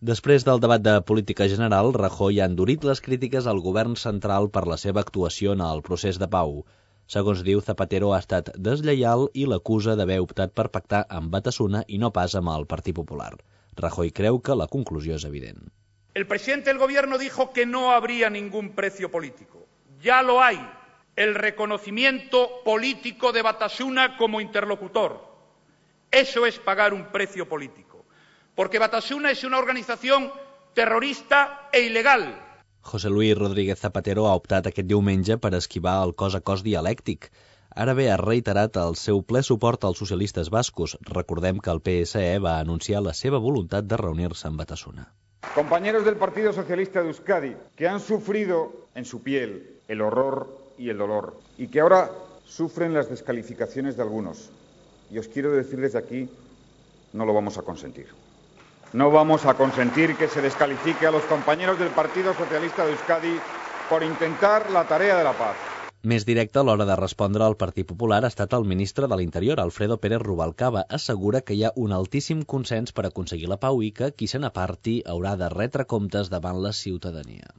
Després del debat de política general, Rajoy ha endurit les crítiques al govern central per la seva actuació en el procés de pau. Segons diu, Zapatero ha estat deslleial i l'acusa d'haver optat per pactar amb Batasuna i no pas amb el Partit Popular. Rajoy creu que la conclusió és evident. El presidente del gobierno dijo que no habría ningún precio político. Ya lo hay. El reconocimiento político de Batasuna como interlocutor. Eso es pagar un precio político. Porque Batasuna es una organización terrorista e ilegal. José Luis Rodríguez Zapatero ha optat aquest diumenge per esquivar el cos a cos dialèctic. Ara bé, ha reiterat el seu ple suport als socialistes bascos. Recordem que el PSE va anunciar la seva voluntat de reunir-se amb Batasuna. Compañeros del Partido Socialista de Euskadi, que han sufrido en su piel el horror y el dolor, y que ahora sufren las descalificaciones de algunos. Y os quiero decir desde aquí, no lo vamos a consentir. No vamos a consentir que se descalifique a los compañeros del Partido Socialista de Euskadi por intentar la tarea de la paz. Més directe a l'hora de respondre al Partit Popular ha estat el ministre de l'Interior, Alfredo Pérez Rubalcaba. Assegura que hi ha un altíssim consens per aconseguir la pau i que qui se n'aparti haurà de retre comptes davant la ciutadania.